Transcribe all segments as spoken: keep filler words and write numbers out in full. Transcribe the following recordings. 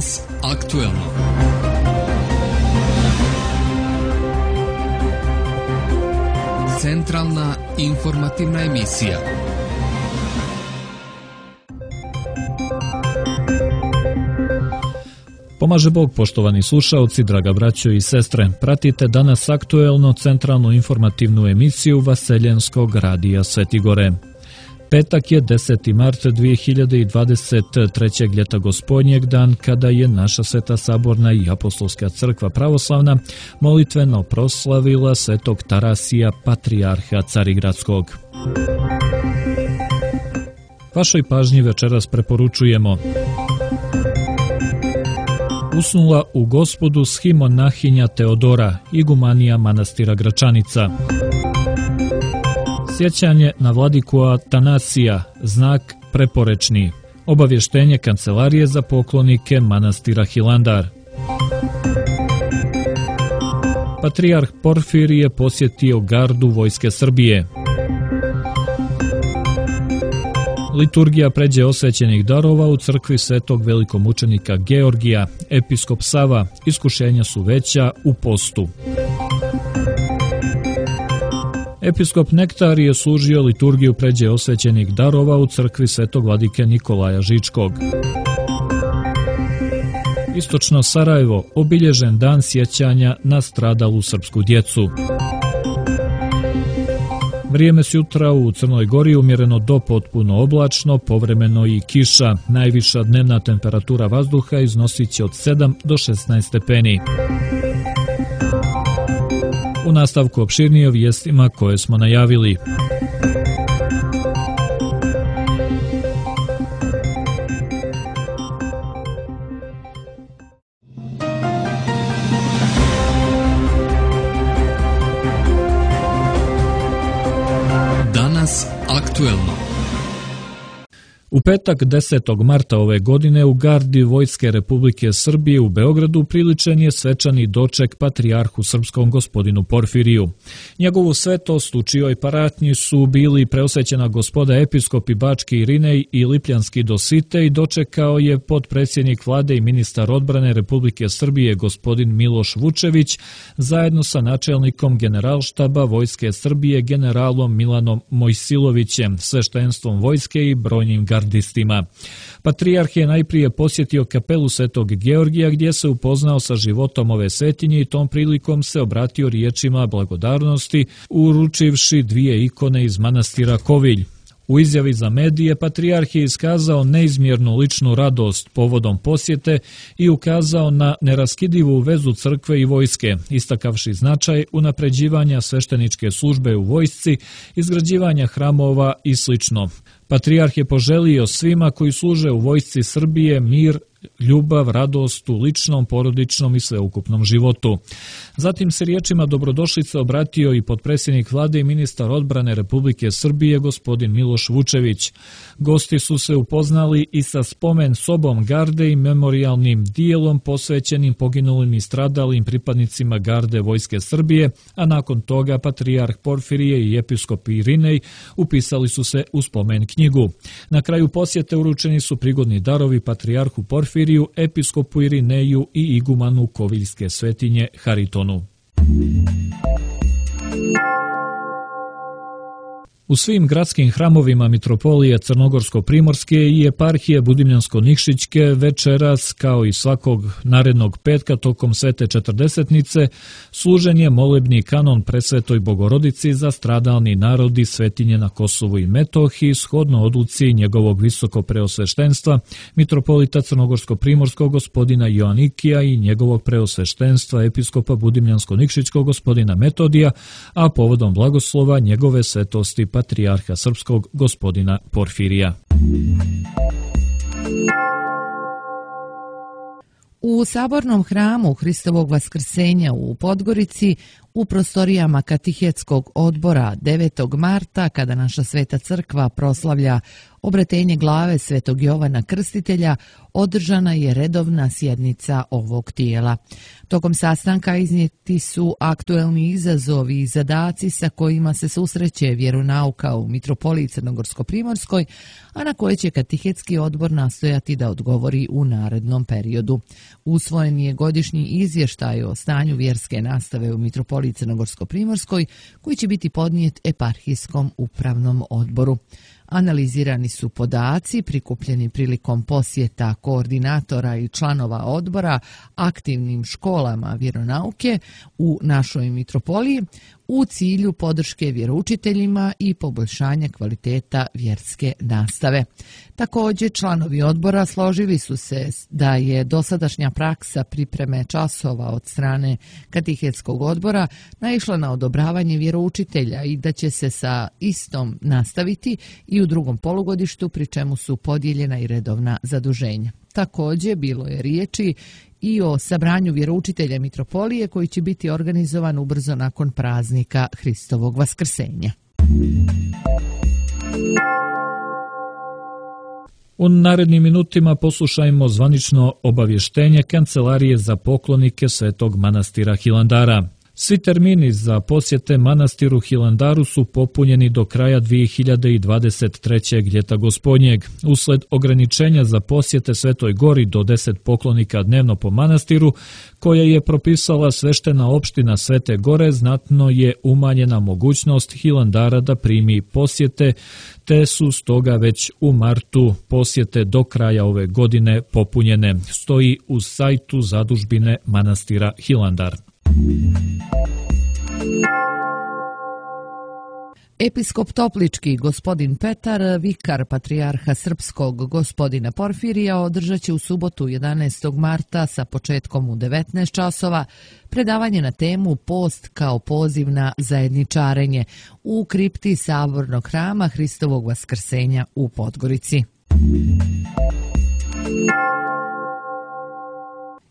Danas aktuelno. Centralna informativna emisija. Pomaže Bog, poštovani slušaoci, draga braćo i sestre. Pratite danas aktuelno centralnu informativnu emisiju Vaseljenskog radija Svetigore. Petak je deseti mart dvije hiljade dvadeset trećeg. ljeta gospodnjeg, dan kada je naša Sveta Saborna i Apostolska crkva pravoslavna molitveno proslavila svetog Tarasija, patrijarha Carigradskog. Vašoj pažnji večeras preporučujemo: Usnula u Gospodu schimonnahinja Teodora, igumanija manastira Gračanica. Sjećanje na vladiku Atanasija, znak preporečni. Obavještenje Kancelarije za poklonike manastira Hilandar. Patrijarh Porfirije posjetio gardu Vojske Srbije. Liturgija pređe osvećenih darova u crkvi svetog velikomučenika Georgija. Episkop Sava, iskušenja su veća u postu. Episkop Nektar je služio liturgiju pređe osvećenih darova u crkvi svetog vladike Nikolaja Žičkog. Istočno Sarajevo, obilježen dan sjećanja na stradalu srpsku djecu. Vrijeme s jutra u Crnoj Gori umjereno do potpuno oblačno, povremeno i kiša. Najviša dnevna temperatura vazduha iznosit će od sedam do šesnaest stepeni. U nastavku opširnije o vijestima koje smo najavili. Danas aktuelno. U petak desetog marta ove godine u gardi Vojske Republike Srbije u Beogradu priličen je svečani doček patrijarhu srpskom gospodinu Porfiriju. Njegovu svetost u čijoj paratnji su bili preosvećena gospoda episkopi Bački Irinej i Lipljanski Dositej, dočekao je potpredsjednik vlade i ministar odbrane Republike Srbije gospodin Miloš Vučević zajedno sa načelnikom generalštaba Vojske Srbije generalom Milanom Mojsilovićem, sveštenstvom vojske i brojnim gardistima. Patrijarh je najprije posjetio kapelu Svetog Georgija gdje se upoznao sa životom ove svetinje i tom prilikom se obratio riječima blagodarnosti uručivši dvije ikone iz manastira Kovilj. U izjavi za medije patrijarh je iskazao neizmjernu ličnu radost povodom posjete i ukazao na neraskidivu vezu crkve i vojske, istakavši značaj unapređivanja svešteničke službe u vojsci, izgrađivanja hramova i slično. Patrijarh je poželio svima koji služe u vojsci Srbije mir, ljubav, radost u ličnom, porodičnom i sveukupnom životu. Zatim se riječima dobrodošlice obratio i potpredsjednik vlade i ministar odbrane Republike Srbije gospodin Miloš Vučević. Gosti su se upoznali i sa spomen sobom garde i memorijalnim dijelom posvećenim poginulim i stradalim pripadnicima garde Vojske Srbije, a nakon toga patrijarh Porfirije i episkop Irinej upisali su se u spomen knjigu. Na kraju posjete uručeni su prigodni darovi patrijarhu Porfiriju, episkopu Irineju i igumanu Koviljske svetinje Haritonu. U svim gradskim hramovima mitropolije Crnogorsko-primorske i eparhije Budimljansko-nikšićke večeras, kao i svakog narednog petka tokom svete četrdesetnice, služen je molebni kanon presvetoj Bogorodici za stradalni narodi svetinje na Kosovu i Metohiji, shodno odluci njegovog visoko preosveštenstva, mitropolita Crnogorsko-primorskog gospodina Joanikija i njegovog preosveštenstva episkopa Budimljansko-nikšićkog gospodina Metodija, a povodom blagoslova njegove svetosti patrijarha srpskog gospodina Porfirija. U Sabornom hramu Hristovog Vaskrsenja u Podgorici U prostorijama Katehetskog odbora devetog marta, kada naša Sveta crkva proslavlja obretenje glave Svetog Jovana Krstitelja, održana je redovna sjednica ovog tijela. Tokom sastanka iznijeti su aktuelni izazovi i zadaci sa kojima se susreće vjeronauka u Mitropoliji Crnogorsko-Primorskoj, a na koje će Katehetski odbor nastojati da odgovori u narednom periodu. Usvojen je godišnji izvještaj o stanju vjerske nastave u Mitropoliji Crnogorsko-Primorskoj, koji će biti podnijet eparhijskom upravnom odboru. Analizirani su podaci prikupljeni prilikom posjeta koordinatora i članova odbora aktivnim školama vjeronauke u našoj mitropoliji u cilju podrške vjeroučiteljima i poboljšanja kvaliteta vjerske nastave. Također, članovi odbora složili su se da je dosadašnja praksa pripreme časova od strane Katehetskog odbora naišla na odobravanje vjeroučitelja i da će se sa istom nastaviti i u drugom polugodištu, pri čemu su podijeljena i redovna zaduženja. Također, bilo je riječi i o sabranju vjeroučitelja mitropolije koji će biti organizovan ubrzo nakon praznika Hristovog vaskrsenja. U narednim minutima poslušajmo zvanično obavještenje Kancelarije za poklonike Svetog manastira Hilandara. Svi termini za posjete manastiru Hilandaru su popunjeni do kraja dvije hiljade dvadeset trećeg ljeta gospodnjeg. Usled ograničenja za posjete Svetoj Gori do deset poklonika dnevno po manastiru, koje je propisala sveštena opština Svete Gore, znatno je umanjena mogućnost Hilandara da primi posjete, te su stoga već u martu posjete do kraja ove godine popunjene. Stoji u sajtu zadužbine manastira Hilandar. Episkop Toplički gospodin Petar, vikar patrijarha srpskog gospodina Porfirija, održat će u subotu jedanaestog marta sa početkom u devetnaest časova predavanje na temu Post kao poziv na zajedničarenje u kripti Sabornog hrama Hristovog vaskrsenja u Podgorici.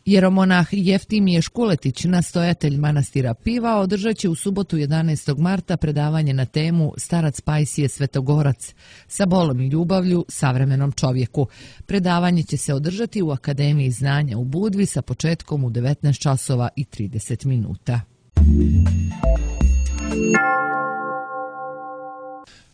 Jeromonah Jeftimije Škuletić, nastojatelj manastira Piva, održat će u subotu jedanaestog marta predavanje na temu Starac Pajsije Svetogorac, sa bolom i ljubavlju savremenom čovjeku. Predavanje će se održati u Akademiji znanja u Budvi sa početkom u devetnaest časova i trideset minuta.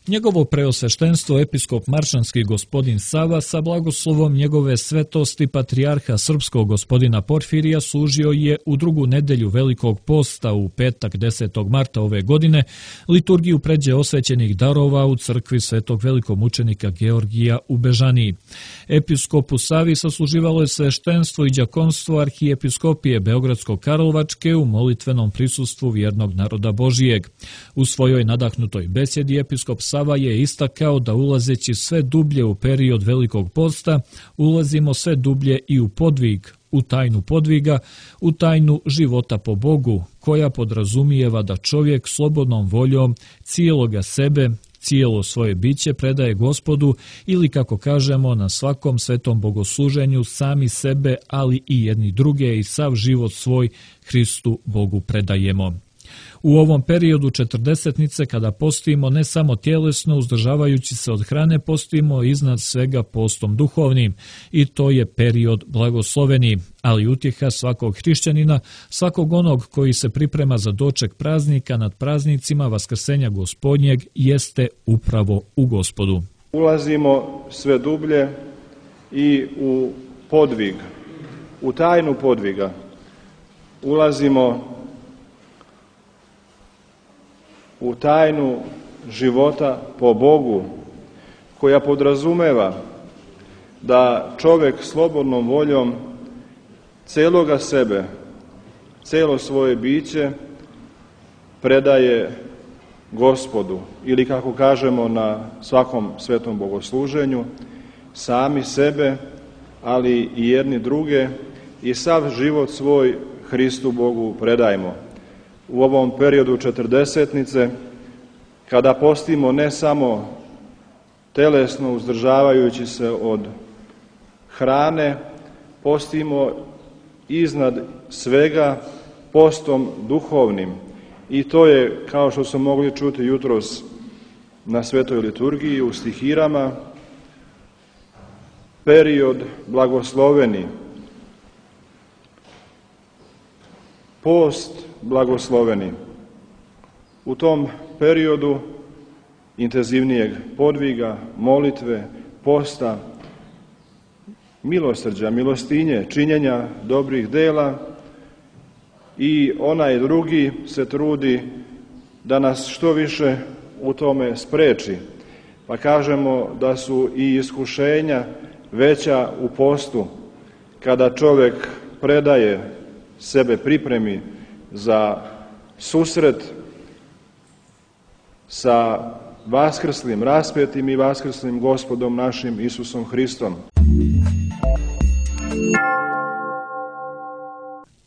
Njegovo preosveštenstvo episkop Maršanski gospodin Sava sa blagoslovom njegove svetosti patrijarha srpskog gospodina Porfirija služio je u drugu nedelju Velikog posta u petak desetog marta ove godine liturgiju pređe osvećenih darova u crkvi Svetog velikomučenika Georgija u Bežaniji. Episkopu Savi sasluživalo je sveštenstvo i đakonstvo arhijepiskopije Beogradsko-Karlovačke u molitvenom prisustvu vjernog naroda Božijeg. U svojoj nadahnutoj besjedi episkop Sava je istakao da ulazeći sve dublje u period Velikog posta, ulazimo sve dublje i u podvig, u tajnu podviga, u tajnu života po Bogu, koja podrazumijeva da čovjek slobodnom voljom cijeloga sebe, cijelo svoje biće predaje Gospodu ili, kako kažemo, na svakom svetom bogosluženju sami sebe, ali i jedni druge i sav život svoj Hristu Bogu predajemo. U ovom periodu četrdesetnice, kada postimo ne samo tjelesno, uzdržavajući se od hrane, postimo iznad svega postom duhovnim, i to je period blagosloveni, ali utjeha svakog hrišćanina, svakog onog koji se priprema za doček praznika nad praznicima Vaskrsenja Gospodnjeg, jeste upravo u Gospodu. Ulazimo sve dublje i u podvig, u tajnu podviga. Ulazimo u tajnu života po Bogu, koja podrazumeva da čovjek slobodnom voljom celoga sebe, celo svoje biće predaje Gospodu, ili, kako kažemo na svakom svetom bogosluženju, sami sebe, ali i jedni druge, i sav život svoj Hristu Bogu predajmo. U ovom periodu četrdesetnice, kada postimo ne samo telesno uzdržavajući se od hrane, postimo iznad svega postom duhovnim, i to je, kao što smo mogli čuti jutros na svetoj liturgiji u stihirama, period blagosloveni, post blagosloveni. U tom periodu intenzivnijeg podviga, molitve, posta, milosrđa, milostinje, činjenja dobrih dela, i onaj drugi se trudi da nas što više u tome spreči. Pa kažemo da su i iskušenja veća u postu, kada čovjek predaje sebe, pripremi za susret sa vaskrslim, raspetim i vaskrslim Gospodom našim Isusom Hristom.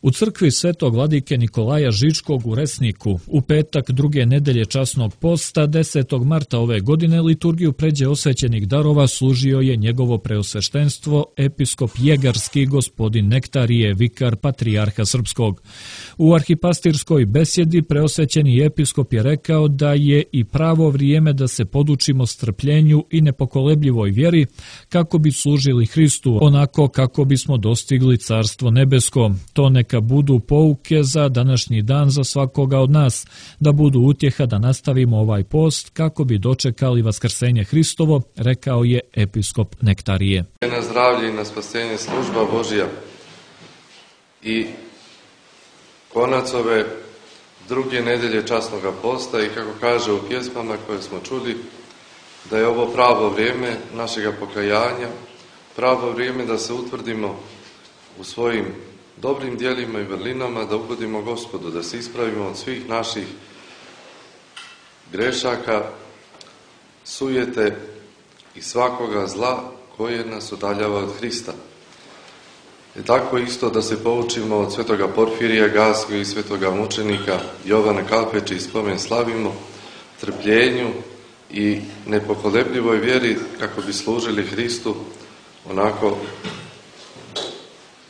U crkvi Svetog vladike Nikolaja Žičkog u Resniku u petak druge nedelje časnog posta desetog marta ove godine liturgiju pređe osvećenih darova služio je njegovo preosveštenstvo episkop Jegarski gospodin Nektarije, vikar patrijarha srpskog. U arhipastirskoj besjedi preosvećeni episkop je rekao da je i pravo vrijeme da se podučimo strpljenju i nepokolebljivoj vjeri kako bi služili Hristu, onako kako bismo dostigli Carstvo nebesko. To neka budu pouke za današnji dan za svakoga od nas, da budu utjeha da nastavimo ovaj post kako bi dočekali vaskrsenje Hristovo, rekao je episkop Nektarije. Na zdravlje i na spasenje služba Božja i konac ove druge nedelje časnoga posta, i kako kaže u pjesmama koje smo čuli, da je ovo pravo vrijeme našega pokajanja, pravo vrijeme da se utvrdimo u svojim dobrim djelima i vrlinama, da ugodimo Gospodu, da se ispravimo od svih naših grešaka, sujete i svakoga zla koje nas udaljava od Hrista. I tako isto da se poučimo od svetoga Porfirija Gaskog i svetoga mučenika Jovana Kalpeća i spomen slavimo, trpljenju i nepokolebljivoj vjeri kako bi služili Hristu onako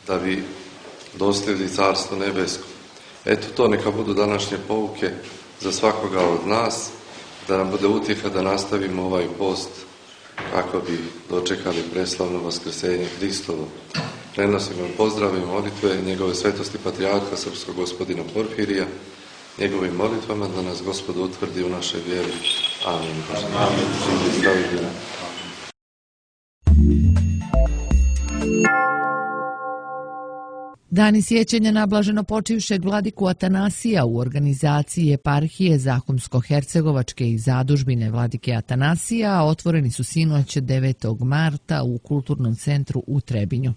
da bi dostigli Carstvo nebesko. Eto, to neka budu današnje pouke za svakoga od nas, da nam bude utjeha da nastavimo ovaj post kako bi dočekali preslavno vaskrsenje Hristovo. Prenosimo pozdrave i molitve njegove svetosti patrijarha srpskog gospodina Porfirija, njegovim molitvama da nas Gospod utvrdi u našoj vjeri. Amin. Amin. Dani sjećanja na blaženopočivšeg vladiku Atanasija u organizaciji eparhije Zahumsko-hercegovačke i zadužbine vladike Atanasija otvoreni su sinoć devetog marta u Kulturnom centru u Trebinju.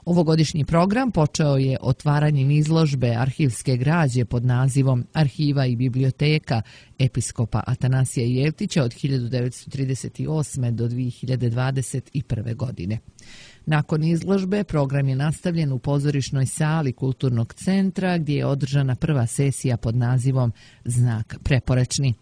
Ovogodišnji program počeo je otvaranjem izložbe arhivske građe pod nazivom Arhiva i biblioteka episkopa Atanasija Jevtića od hiljadu devetsto trideset osme do dvije hiljade dvadeset prve. godine. Nakon izložbe program je nastavljen u pozorišnoj sali Kulturnog centra gdje je održana prva sesija pod nazivom Znak preporečni.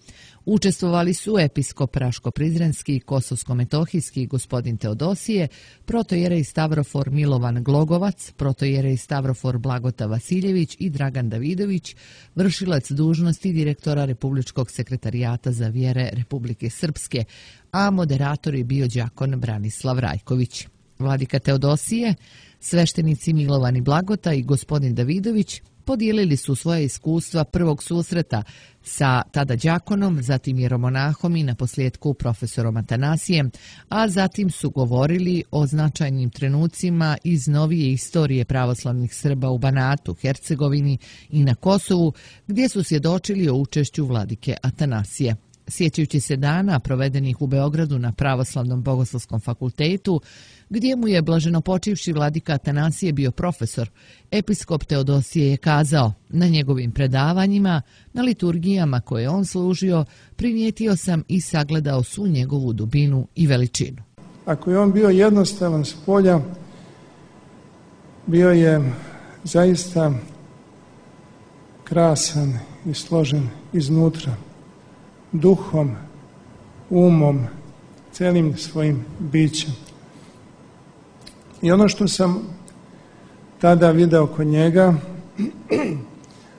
Učestvovali su episkop Raško-Prizrenski, Kosovsko-Metohijski gospodin Teodosije, protojerej Stavrofor Milovan Glogovac, protojerej Stavrofor Blagota Vasiljević i Dragan Davidović, vršilac dužnosti direktora Republičkog sekretarijata za vjere Republike Srpske, a moderator je bio đakon Branislav Rajković. Vladika Teodosije, sveštenici Milovan i Blagota i gospodin Davidović podijelili su svoje iskustva prvog susreta sa tada đakonom, zatim jeromonahom i naposljetku profesorom Atanasijem, a zatim su govorili o značajnim trenucima iz novije istorije pravoslavnih Srba u Banatu, Hercegovini i na Kosovu, gdje su svjedočili o učešću vladike Atanasije. Sjećajući se dana provedenih u Beogradu na Pravoslavnom bogoslovskom fakultetu, gdje mu je blaženopočivši vladika Atanasije bio profesor, episkop Teodosije je kazao: na njegovim predavanjima, na liturgijama koje on služio, primijetio sam i sagledao svu njegovu dubinu i veličinu. Ako je on bio jednostavan s polja, bio je zaista krasan i složen iznutra, duhom, umom, celim svojim bićem. I ono što sam tada video kod njega,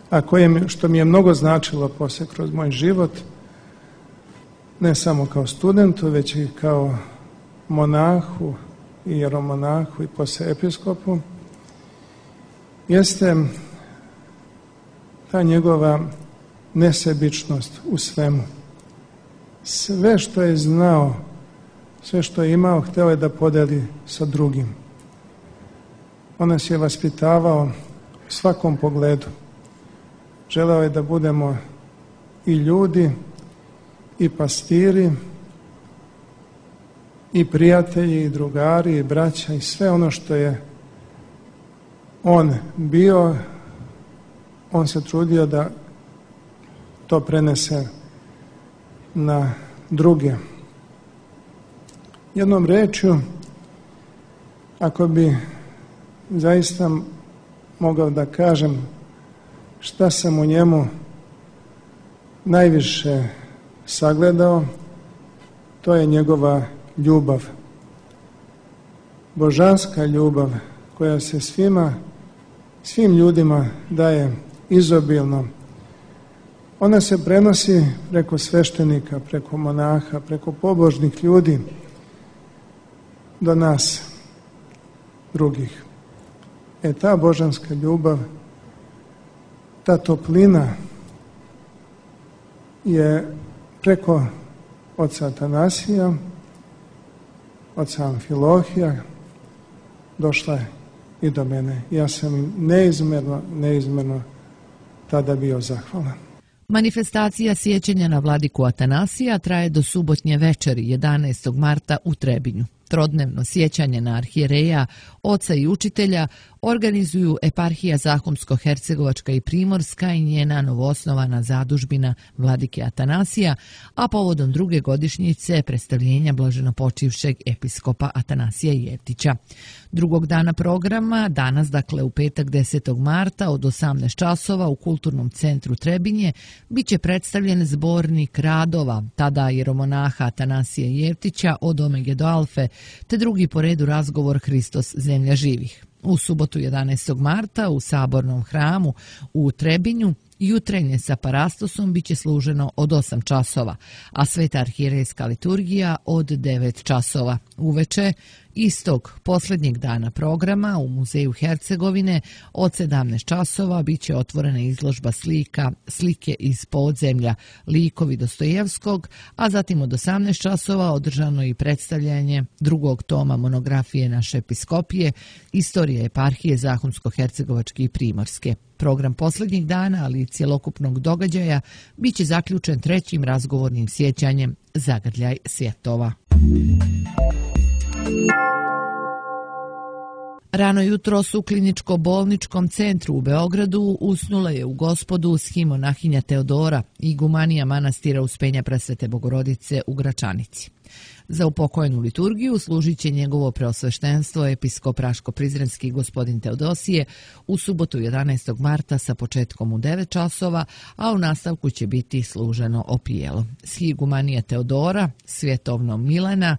a koje mi, što mi je mnogo značilo poslije kroz moj život, ne samo kao studentu, već i kao monahu, i jeromonahu i poslije episkopu, jeste ta njegova nesebičnost u svemu. Sve što je znao, sve što je imao, hteo je da podeli sa drugim. On nas je vaspitavao u svakom pogledu. Želeo je da budemo i ljudi, i pastiri, i prijatelji, i drugari, i braća, i sve ono što je on bio, on se trudio da to prenese na druge. Jednom rečju, ako bi zaista mogao da kažem šta sam u njemu najviše sagledao, to je njegova ljubav. Božanska ljubav koja se svima, svim ljudima daje izobilno. Ona se prenosi preko sveštenika, preko monaha, preko pobožnih ljudi do nas drugih. E ta božanska ljubav, ta toplina je preko oca Atanasija, oca Amfilohija došla i do mene. Ja sam im neizmerno, neizmerno tada bio zahvalan. Manifestacija sjećanja na vladiku Atanasija traje do subotnje večeri jedanaestog marta u Trebinju. Trodnevno sjećanje na arhijereja, oca i učitelja organizuju eparhija Zahumsko-Hercegovačka i Primorska i njena novoosnovana zadužbina vladike Atanasija, a povodom druge godišnjice predstavljenja blaženopočivšeg episkopa Atanasija Jeftića. Drugog dana programa, danas dakle u petak desetog marta od osamnaest časova u Kulturnom centru Trebinje, bit će predstavljen zbornik radova, tada jeromonaha Atanasija Jeftića od Omege do Alfe, te drugi po redu razgovor Hristos zemlja živih. U subotu jedanaestog marta u Sabornom hramu u Trebinju jutrenje sa parastosom bit će služeno od osam časova, a sveta arhijerejska liturgija od devet časova. Uveče istog posljednjeg dana programa u Muzeju Hercegovine od sedamnaest časova bit će otvorena izložba slika, slike iz podzemlja, likovi Dostojevskog, a zatim od osamnaest časova održano i predstavljanje drugog toma monografije naše episkopije, istorije eparhije Zahumsko-Hercegovačke i Primorske. Program posljednjeg dana, ali i cjelokupnog događaja, bit će zaključen trećim razgovornim sjećanjem Zagrljaj svjetova. Rano jutro u kliničko-bolničkom centru u Beogradu usnula je u Gospodu schimonahija Teodora, igumanija manastira Uspenja Presvete Bogorodice u Gračanici. Za upokojenu liturgiju služit će njegovo preosveštenstvo episkop Raško-Prizrenski gospodin Teodosije u subotu jedanaestog marta sa početkom u devet časova, a u nastavku će biti služeno opijelo. Schigumanija Teodora, svjetovno Milena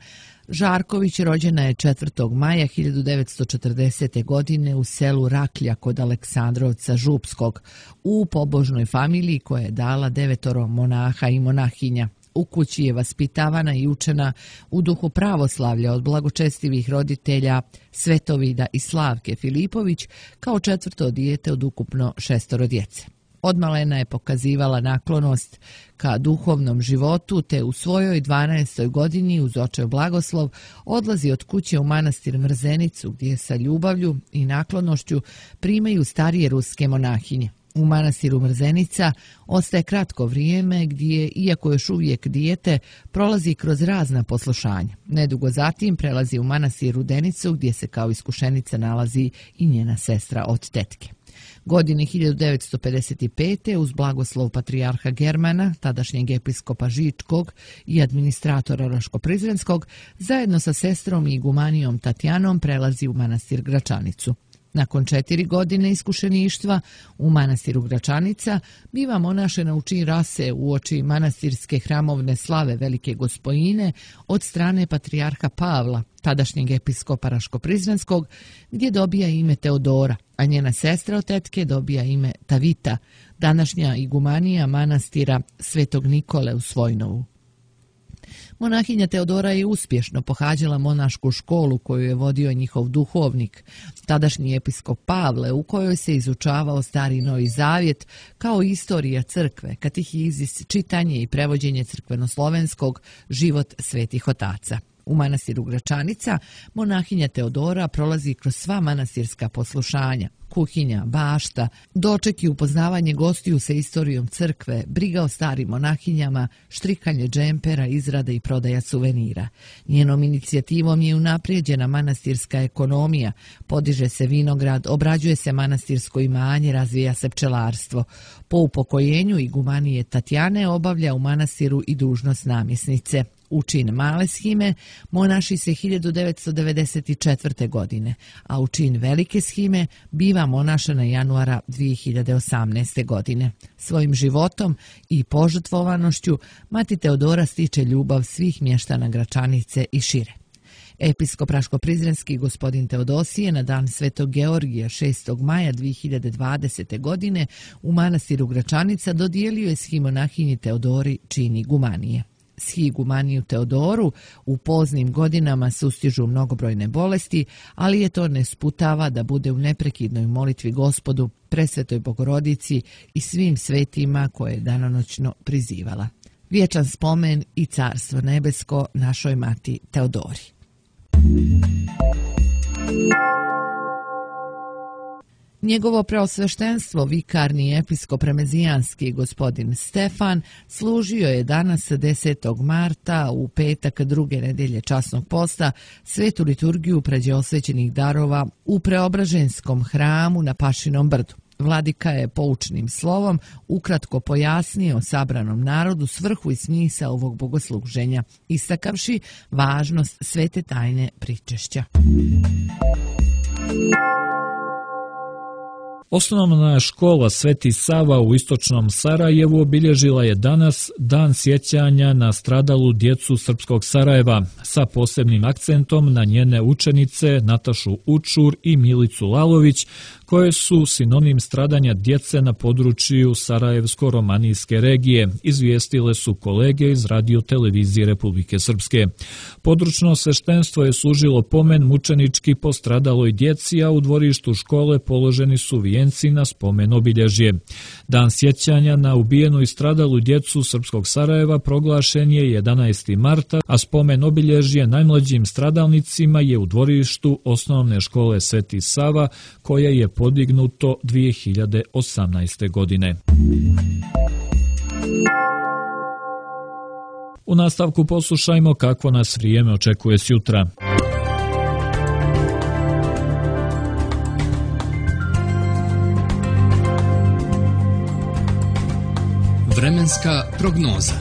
Žarković rođena je četvrtog maja hiljadu devetsto četrdesete. godine u selu Raklja kod Aleksandrovca Župskog, u pobožnoj familiji koja je dala devetoro monaha i monahinja. U kući je vaspitavana i učena u duhu pravoslavlja od blagočestivih roditelja Svetovida i Slavke Filipović kao četvrto dijete od ukupno šestoro djece. Odmalena je pokazivala naklonost ka duhovnom životu, te u svojoj dvanaestoj godini uz očev blagoslov odlazi od kuće u manastir Mrzenicu, gdje sa ljubavlju i naklonošću primaju starije ruske monahinje. U manastiru Mrzenica ostaje kratko vrijeme gdje, iako još uvijek dijete, prolazi kroz razna poslušanja. Nedugo zatim prelazi u manastir Rudenicu, gdje se kao iskušenica nalazi i njena sestra od tetke. Godine hiljadu devetsto pedeset pete. uz blagoslov patrijarha Germana, tadašnjeg episkopa Žičkog i administratora Raško-Prizrenskog, zajedno sa sestrom i igumanijom Tatjanom prelazi u manastir Gračanicu. Nakon četiri godine iskušeništva u manastiru Gračanica biva monašena u čin rase u oči manastirske hramovne slave Velike Gospojine od strane patrijarha Pavla, tadašnjeg episkopa Raško-Prizrenskog, gdje dobija ime Teodora, a njena sestra od tetke dobija ime Tavita, današnja igumanija manastira Svetog Nikole u Svojnovu. Monahinja Teodora je uspješno pohađala monašku školu koju je vodio njihov duhovnik, tadašnji episkop Pavle, u kojoj se izučavao Stari i Novi Zavjet kao istorija crkve, katehizis, čitanje i prevođenje crkvenoslovenskog, život svetih otaca. U manastiru Gračanica monahinja Teodora prolazi kroz sva manastirska poslušanja, kuhinja, bašta, doček i upoznavanje gostiju sa istorijom crkve, briga o starim monahinjama, štrikanje džempera, izrada i prodaja suvenira. Njenom inicijativom je unaprijeđena manastirska ekonomija, podiže se vinograd, obrađuje se manastirsko imanje, razvija se pčelarstvo. Po upokojenju igumanije Tatjane obavlja u manastiru i dužnost namjesnice. U čin male shime monaši se hiljadu devetsto devedeset četvrte. godine, a u čin velike shime biva monašana januara dvije hiljade osamnaeste. godine. Svojim životom i požrtvovanošću mati Teodora stiče ljubav svih mještana Gračanice i šire. Episkop Raško-Prizrenski gospodin Teodosije na dan Svetog Georgija šestog maja dvije hiljade dvadesete. godine u manastiru Gračanica dodijelio je shimonahinji Teodori čin igumanije. Shigumaniju Teodoru u poznim godinama sustižu mnogobrojne bolesti, ali je to ne sputava da bude u neprekidnoj molitvi Gospodu, Presvetoj Bogorodici i svim svetima koje je danonoćno prizivala. Vječan spomen i carstvo nebesko našoj mati Teodori. Njegovo preosveštenstvo, vikarni episkop remezijanski gospodin Stefan, služio je danas desetog marta u petak druge nedelje časnog posta svetu liturgiju pređe osvećenih darova u Preobraženskom hramu na Pašinom brdu. Vladika je poučnim slovom ukratko pojasnio sabranom narodu svrhu i smisao ovog bogosluženja, istakavši važnost svete tajne pričešća. Osnovna škola Sveti Sava u istočnom Sarajevu obilježila je danas dan sjećanja na stradalu djecu srpskog Sarajeva, sa posebnim akcentom na njene učenice Natašu Učur i Milicu Lalović, koje su sinonim stradanja djece na području Sarajevsko-romanijske regije, izvijestile su kolege iz radio-televizije Republike Srpske. Područno sveštenstvo je služilo pomen mučenički postradaloj djeci, a u dvorištu škole položeni su vijenci na spomen obilježje. Dan sjećanja na ubijenu i stradalu djecu srpskog Sarajeva proglašen je jedanaestog marta, a spomen obilježje najmlađim stradalnicima je u dvorištu osnovne škole Sveti Sava, koja je podignuto dvije hiljade osamnaeste. godine. U nastavku poslušajmo kako nas vrijeme očekuje sjutra. Vremenska prognoza.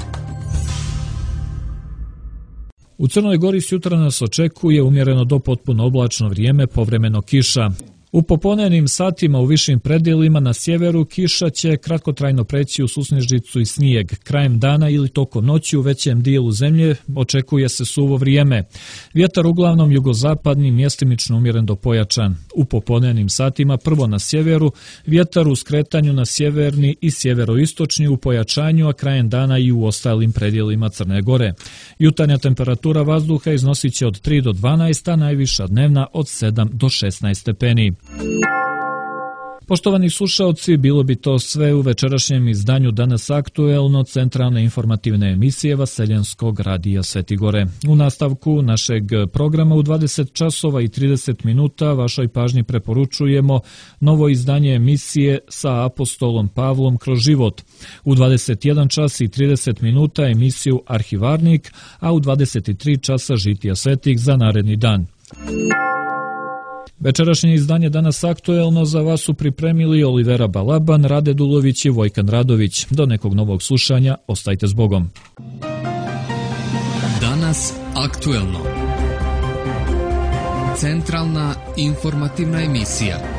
U Crnoj Gori sjutra nas očekuje umjereno do potpuno oblačno vrijeme, povremeno kiša. U popodnevnim satima u višim predjelima na sjeveru kiša će kratkotrajno preći u susnežicu i snijeg. Krajem dana ili tokom noći u većem dijelu zemlje očekuje se suvo vrijeme. Vjetar uglavnom jugozapadni, mjestimično umjeren do pojačan. U popodnevnim satima prvo na sjeveru, vjetar u skretanju na sjeverni i sjeveroistočni u pojačanju, a krajem dana i u ostalim predjelima Crne Gore. Jutarnja temperatura vazduha iznosit će od tri do dvanaest, a najviša dnevna od sedam do šesnaest stepeni. Poštovani slušaoci, bilo bi to sve u večerašnjem izdanju Danas aktuelno centralne informativne emisije Vaseljenskog radija Svetigore. U nastavku našeg programa u dvadeset časova i trideset minuta vašoj pažnji preporučujemo novo izdanje emisije sa apostolom Pavlom kroz život. U dvadeset jedan čas i trideset minuta emisiju Arhivarnik, a u dvadeset tri časa Žitija svetih za naredni dan. Večerašnje izdanje Danas aktuelno za vas su pripremili Olivera Balaban, Rade Dulović i Vojkan Radović. Do nekog novog slušanja, ostajte s Bogom. Danas aktuelno. Centralna informativna emisija.